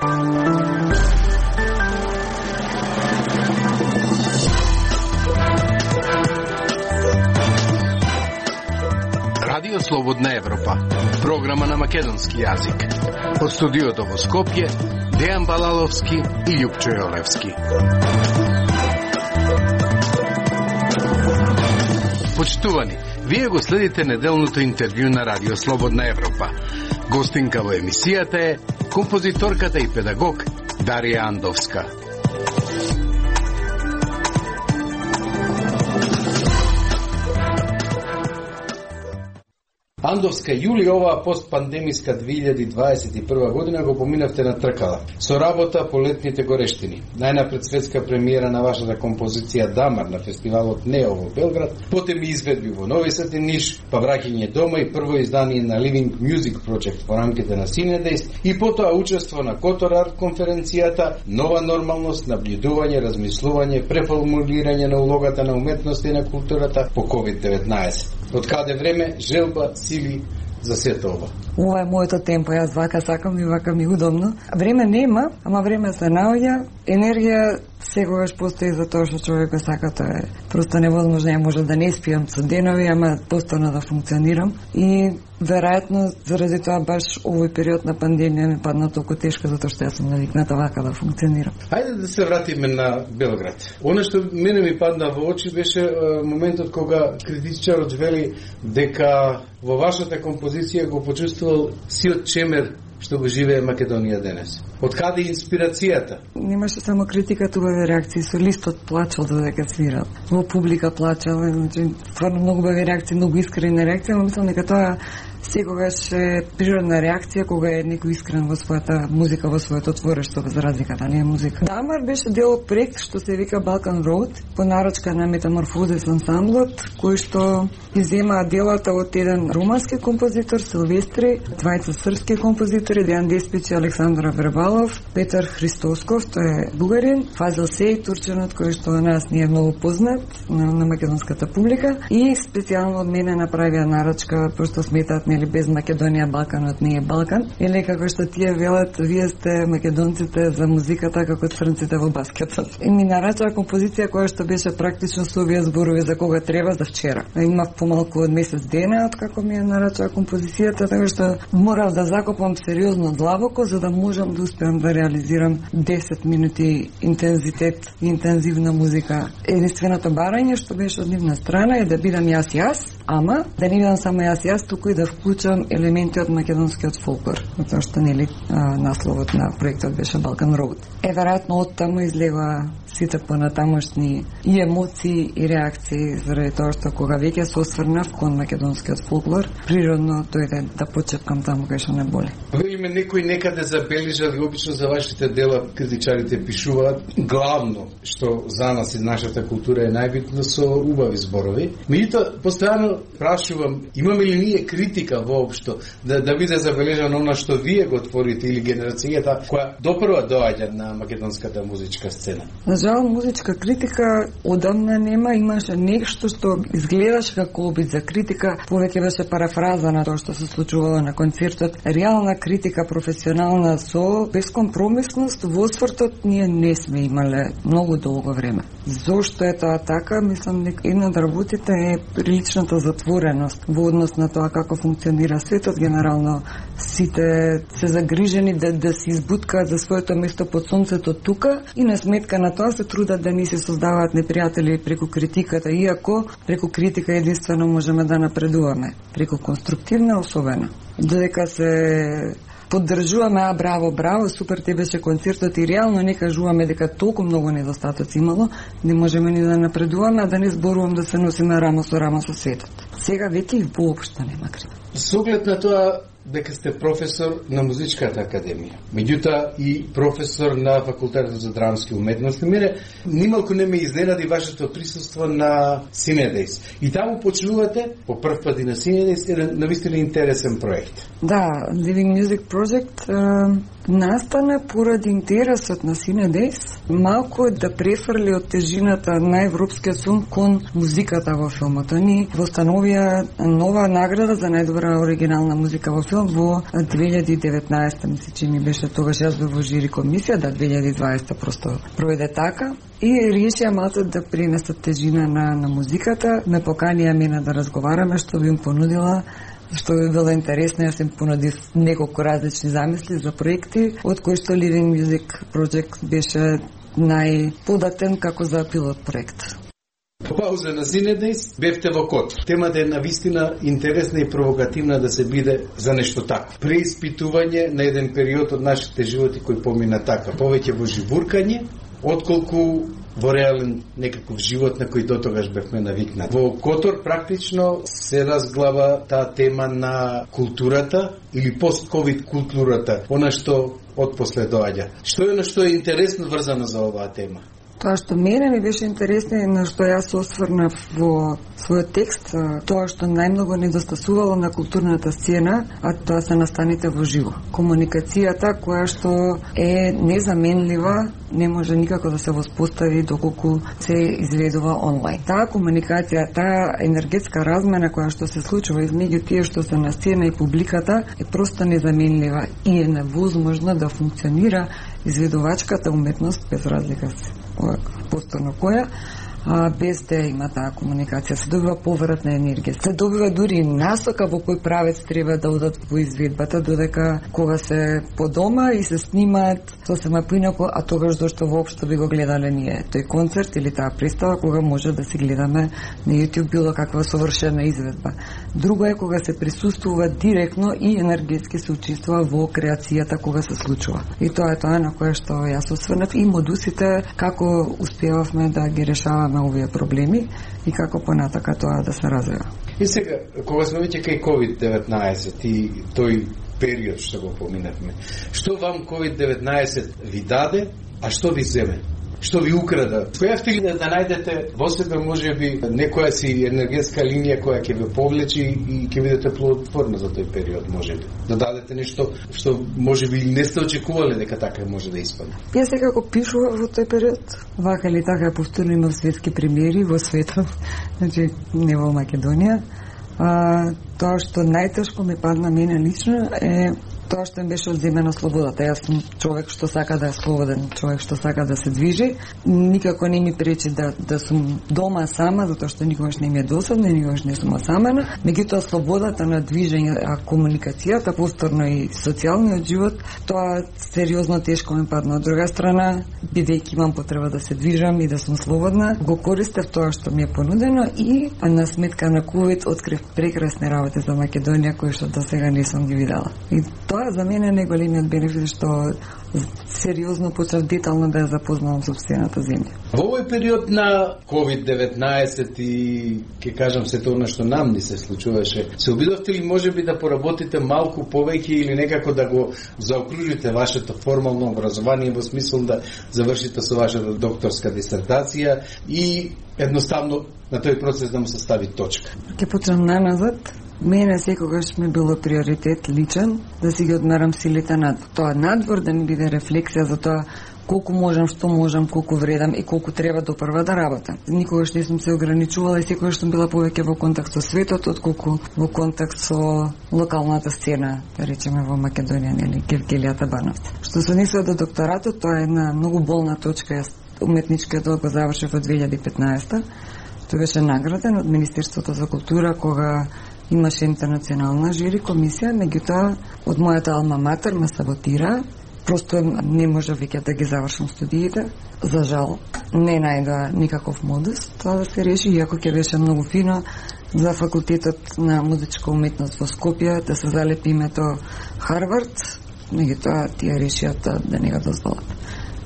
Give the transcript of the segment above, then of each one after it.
Радио Слободна Европа, програма на македонски јазик. Од студиото во Скопје, Дејан Балаловски и Љупчо Јолевски. Почитувани, вие го следите неделното интервју на Радио Слободна Европа. Гостинка во емисијата е композиторката и педагог Дарија Андовска. Андовска, јули оваа постпандемиска 2021 година го поминавте на тркала, со работа по летните горештини. Најнапред светска премиера на вашата композиција Дамар на фестивалот Нео во Белград, потем изведби во Нови Сад и Ниш, па враќање дома и прво издание на Living Music Project во рамките на Синедејс и потоа учество на Котор Арт конференцијата Нова нормалност, набљудување, размислување, преформулирање на улогата на уметноста и на културата по COVID-19. Од каде време, желба, сили за сето ова. Ова е моето темпо, јас вака сакам и вака ми удобно. Време нема, ама време се наоѓа. Енергија секогаш постои за тоа што човек го сака, тоа е просто невозможно. Ја може да не спијам со денови, ама постојано да функционирам. И веројатно заради тоа баш овој период на пандемија ми падна толку тешко, затоа што јас сум навикната вака да функционирам. Хајде да се вратиме на Белград. Оно што мене ми падна во очи беше моментот кога критичарот вели дека во вашата композиција го почувствувал сиот чемер што го живее Македонија денес. Од каде инспирацијата? Немаше само критика, тугави реакции. Солистот плачал додека свирал. Во публика плачал, значи стварно многу бави реакции, многу искрени реакции, но мислам дека тоа секогаш е природна реакција кога е некој искрен во својата музика, во своето творештво, за разлика да не е музика. Дамар беше дел од проект што се вика Balkan Road, по нарочка на Метаморфозис ансамблот, кој што иззема делата од еден румански композитор Силвестри, двајца српски композитори, Дејан Деспич и Александра Вербалов, Петар Христосков, тој е бугарин, Фазил Сеј, турченот, кој што на нас не е многу познат на македонската публика, и специјално од мене направија нарочка, пошто сметаат нели без Македонија Балканот не е Балкан, или како што тие велат, вие сте македонците за музиката како црнците во баскетот. И ми нарачаа композиција која што беше практично со овие зборови за кога треба за вчера. Имав помалку од месец дена од како ми ја нарачаа композицијата, така што морав да закопам сериозно длабоко за да можам да успеам да реализирам 10 минути интензитет и интензивна музика. Единственото барање што беше од нивна страна е да бидам јас, ама да не бидам само јас, туку и да вклучам елементи од македонскиот фолклор, затоа што нели насловот на проектот беше Balkan Road. Веројатно од таму излега сите понатамошни и емоции и реакции, заради тоа што кога веќе се осврнав кон македонскиот фолклор, природно дојде да почепкам таму кај што не боли. Велиме некој некаде забележат, обично за вашите дела критичарите пишуваат главно што за нас и нашата култура е најбитно со убави зборови. Меѓутоа постојано прашувам, имаме ли ние критика воопшто да биде забележано она што вие го творите или генерацијата која допрва доаѓа на македонската музичка сцена? На жал, музичка критика одамна нема, имаше нешто што изгледаше како обид за критика, повеќе беше парафраза на тоа што се случувало на концертот. Реална критика, професионална, со безкомпромисност во освртот ние не сме имале многу долго време. Зошто е тоа така? Мислам, една од работите е приличната затвореност во однос на тоа како функционира светот. Генерално сите се загрижени да се избуткаат за своето место под сонцето тука и на сметка на тоа се трудат да ни се создаваат непријатели преку критиката, иако преку критика единствено можеме да напредуваме, преку конструктивна особено. Додека се поддржуваме, браво, браво, супер те беше концертот и реално не кажуваме дека толку многу недостатоци имало, не можеме ни да напредуваме, а да не зборувам да се носиме рамо со светот. Сега веќе и воопшто нема критика. Со оглед на тоа дека сте професор на Музичката академија, меѓутоа и професор на Факултетот за драмски уметности, мене нималку не ме изненади вашето присуство на Синедејс. И таму почнувате по прв пат и на Синедејс еден навистина интересен проект. Да, Living Music Project настана поради интересот на Синедејс малку да префрли од тежината на европскиот филм кон музиката во филмот. Они востановија нова награда за најдобра оригинална музика во филм мисел во 2019, мисли че ми беше тогаш, јас бев во жири комисија, 2020 просто пројде така. И решија малце да принесат тежина на музиката, ме поканија мене да разговараме, што би им понудила, што би било интересно. Јас им понудив неколку различни замисли за проекти, од кои што Living Music Project беше најподатен како за пилот проект. По пауза на Синедејс бевте во Котор. Темата е навистина интересна и провокативна да се биде за нешто така. Преиспитување на еден период од нашите животи кој помина така, повеќе во живуркање, отколку во реален некаков живот на кој дотогаш бевме навикнати. Во Котор практично се разглава таа тема на културата или пост-ковид културата, она што отпосле доаѓа. Што е на што е интересно врзано за оваа тема? Тоа што мене ми беше интересно и на што јас осврнав во својот текст, тоа што најмногу недостасувало на културната сцена, а тоа се настаните во живо. Комуникацијата која што е незаменлива, не може никако да се воспостави доколку се изведува онлайн. Таа комуникација, таа енергетска размена која што се случува измеѓу тие што се на сцена и публиката е просто незаменлива и е невозможно да функционира изведувачката уметност без разлика повторно која, без да има таа комуникација. Се добива повратна енергија. Се добива дури насока во кој правец треба да одат во изведбата, додека кога се по дома и се снимаат сосема поинаку, а тогаш зашто воопшто би го гледале ние тој концерт или таа представа, кога може да се гледаме на YouTube било каква совршена изведба. Друго е кога се присуствува директно и енергетски се учествува во креацијата кога се случува. И тоа е тоа на кое што јас осврнав и модусите како успевавме да ги решаваме овие проблеми и како понатака тоа да се развива. И сега, кога сме веќе кај COVID-19 и тој период што го поминавме, што вам COVID-19 ви даде, а што ви земе? Што ви украда? Успеавте ли да најдете во себе можеби некоја си енергетска линија која ќе ве повлечи и ќе бидете плодотворна за тој период, можеби? Да дадете нешто што можеби не сте очекувале дека така може да испадне? Јас секако пишував во тој период, вака или така повторно имав светски премиери во светот, значи не во Македонија. Тоа што најтешко ми падна мене лично е тоа што им беше одземена слободата. Јас сум човек што сака да е слободен, човек што сака да се движи. Никако не ми пречи да сум дома сама, затоа што никогаш не ми е досадно и никогаш не сум осамена. Меѓутоа слободата на движење, а комуникацијата, повторно и социјалниот живот, тоа сериозно тешко ми падна. Од друга страна, бидејќи имам потреба да се движам и да сум слободна, го користев тоа што ми е понудено и на сметка на COVID открив прекрасни работи за Македонија кои што до сега не сум ги видела. И тоа за мене е најголемиот бенефит што сериозно почнав детално да ја запознавам сопствената земја. Во овој период на COVID-19 и ќе кажам се тоа што нам ни се случуваше, се обидовте ли можеби да поработите малку повеќе или некако да го заокружите вашето формално образование во смисол да завршите со вашата докторска дисертација и едноставно на тој процес да му се стави точка? Ќе почнам наназад. Мене секогаш ми било приоритет личен да си ги одмерам силите надвор. Тоа надвор да ми биде рефлексија за тоа колку можам, што можам, колку вредам и колку треба допрва да работам. Никогаш не сум се ограничувала и секогаш сум била повеќе во контакт со светот отколку во контакт со локалната сцена, да речеме во Македонија, нели, Гевгелијата Бановци. Што се однесува до докторатот, тоа е една многу болна точка. Јас уметничкиот го завршив во 2015. Тој беше награден од Министерството за култура кога имаше интернационална жири комисија, меѓутоа од мојата алма матер ме саботира. Просто не може веќе да ги завршам студиите. За жал, не најдоа никаков модус тоа да се реши, иако ќе беше многу фино за факултетот на музичка уметност во Скопје да се залепи името Харвард, меѓутоа тие решијата да не го дозволат.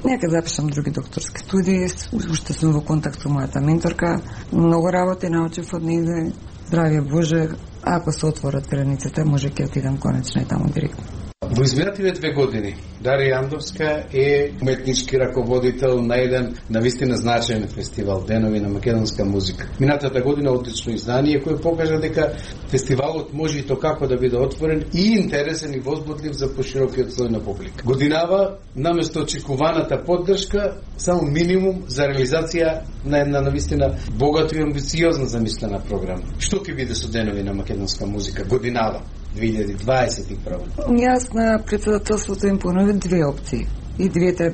Нека запишам други докторски студии, уште сум во контакт со мојата менторка, многу работи научив од нејзе. Здравје Боже, ако се отворат границите, може ќе отидам конечно и таму директно. Во изминативе 2 години Дарија Андовска е уметнички раководител на еден навистина значаен фестивал Денови на македонска музика. Минатата година одлично издание кој покажа дека фестивалот може и то како да биде отворен и интересен и возбудлив за поширокиот слој на публика. Годинава наместо очекуваната поддршка само минимум за реализација на една навистина богато и амбициозна замислена програма. Што ќе биде со Денови на македонска музика годинава? 2021? Јас на председателството им понуди две опции. И двете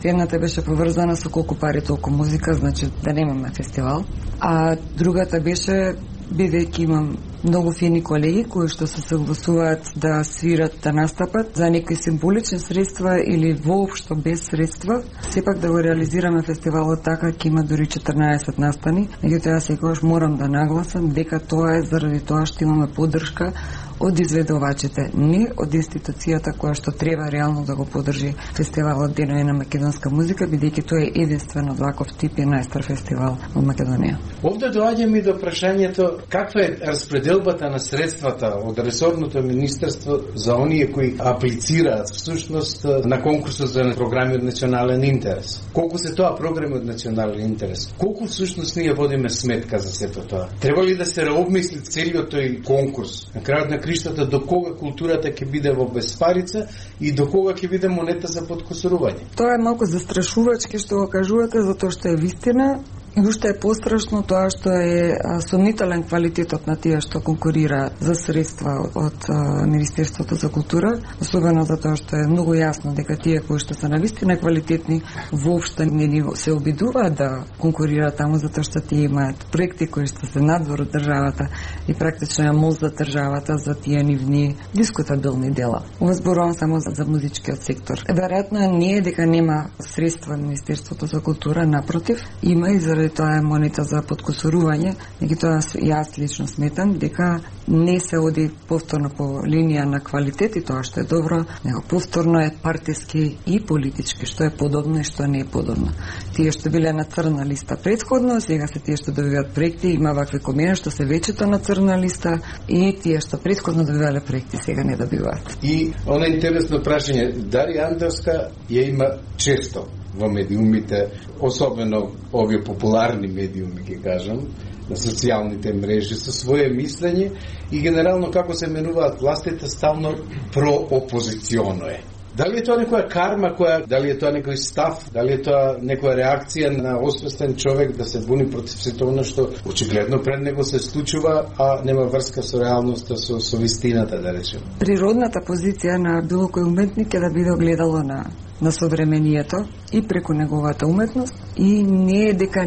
едната беше поврзана со колку пари толку музика, значи да немаме фестивал, а другата беше, бидејќи имам многу фини колеги кои што се согласуваат да свират, да настапат за некои символични средства или воопшто без средства, сепак да го реализираме фестивалот така ќе има дури 14 настани. Меѓутоа јас секогаш морам да нагласам дека тоа е заради тоа што имаме поддршка од изведувачите, не од институцијата која што треба реално да го поддржи фестивалот Денови на македонска музика, бидејќи тоа е единствен од ваков тип и најстар фестивал во Македонија. Овде доаѓаме и до прашањето каква е распределбата на средствата од ресорното министерство за оние кои аплицираат всушност на конкурсот за програми од национален интерес. Колку се тоа програми од национален интерес? Колку всушност ние водиме сметка за сето тоа? Треба ли да се реобмисли целиот тој конкурс? На крајот на криштата до кога културата ќе биде во безпарица и до кога ќе биде монета за подкосурување? Тоа е малку застрашувачки што го кажувате, затоа што е вистина. И уште е пострашно тоа што е сомнителен квалитетот на тие што конкурираат за средства од Министерството за култура, особено затоа што е многу јасно дека тие кои што се навистина квалитетни воопшто не се обидуваат да конкурираат таму, затоа што тие имаат проекти кои што се надвор од државата и практично ја мозда државата за тие нивни дискутабилни дела. Ова зборувам само за музичкиот сектор. Веројатно не е дека нема средства Министерството за култура, напротив, има и заради тоа е монета за подкосурување, меѓутоа јас лично сметам дека не се оди повторно по линија на квалитет и тоа што е добро, него повторно е партиски и политички, што е подобно и што не е подобно. Тие што биле на црна листа претходно, сега се тие што добиваат проекти, има вакви комени што се вечето на црна листа и тие што претходно добивале проекти сега не добиваат. И она интересно прашање, Дарија Андовска ја има често во медиумите, особено овие популарни медиуми, ќе кажам, на социјалните мрежи со свое мислење и генерално како се менуваат властите ставно проопозиционо е. Дали е тоа некоја карма, дали е тоа некој став, дали е тоа некоја реакција на освестен човек да се буни против сето она што очигледно пред него се случува, а нема врска со реалноста, со вистината, да речем. Природната позиција на било кој уметник е да биде огледало на современието и преку неговата уметност и не е дека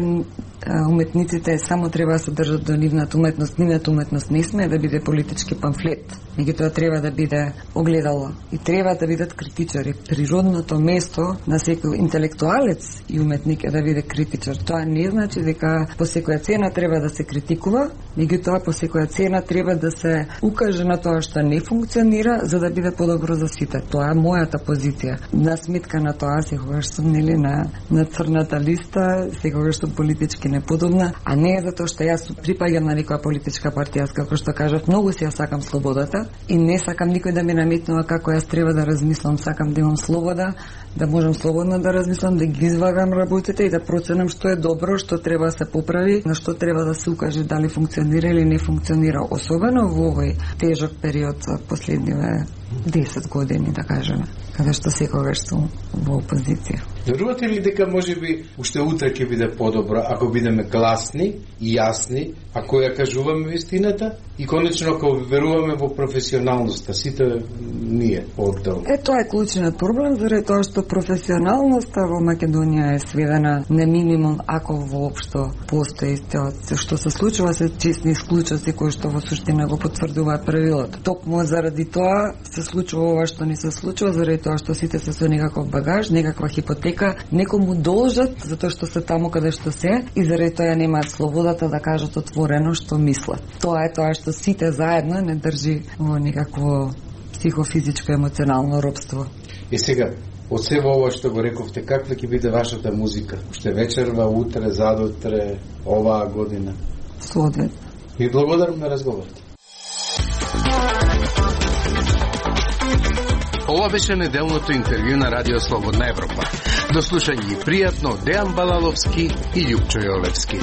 уметниците само треба да се држат до нивната уметност. Нивната уметност не сме да биде политички памфлет, меѓутоа треба да биде огледало и треба да бидат критичари. Природното место на секој интелектуалец и уметник е да биде критичар. Тоа не значи дека по секоја цена треба да се критикува, меѓутоа по секоја цена треба да се укаже на тоа што не функционира за да биде подобро за сите. Тоа е мојата позиција. На сметка на тоа секогаш сум на црната листа, секогаш сум политички неподобна, а не е затоа што јас припаѓам на некоја политичка партија. Јас, како што кажав, многу си ја сакам слободата и не сакам никој да ми наметнува како јас треба да размислам. Сакам да имам слобода, да можам слободно да размислам, да ги извагам работите и да проценам што е добро, што треба да се поправи, на што треба да се укаже дали функционира или не функционира, особено во овој тежок период за последниве 10 години, да кажеме, каде што секогаш сум во опозиција. Верувате ли дека можеби уште утре ќе биде подобро ако бидеме гласни и јасни, ако ја кажуваме вистината и конечно ако веруваме во професионалноста, сите ние оддел? Тоа е клучниот проблем, заради тоа што професионалноста во Македонија е сведена на минимум, ако воопшто постои. Што се случува се честни исклучоци кои што во суштина го потврдуваат правилото. Токму заради тоа се случува ова што не се случува, заради тоа што сите се со некаков багаж, некаква хипотека, некому должат затоа што се таму каде што се и заради тоа немаат слободата да кажат отворено што мислат. Тоа е тоа што сите заедно не држи во некакво психофизичко емоционално робство. И сега, од себе ова што го рековте, каква ќе биде вашата музика? Уште вечерва, утре, задутре, оваа година? Соодветно. И благодарам на разговорот. Ова беше неделното интервју на Радио Слободна Европа. До слушање и пријатно Дејан Балаловски и Љупчо Јолевски.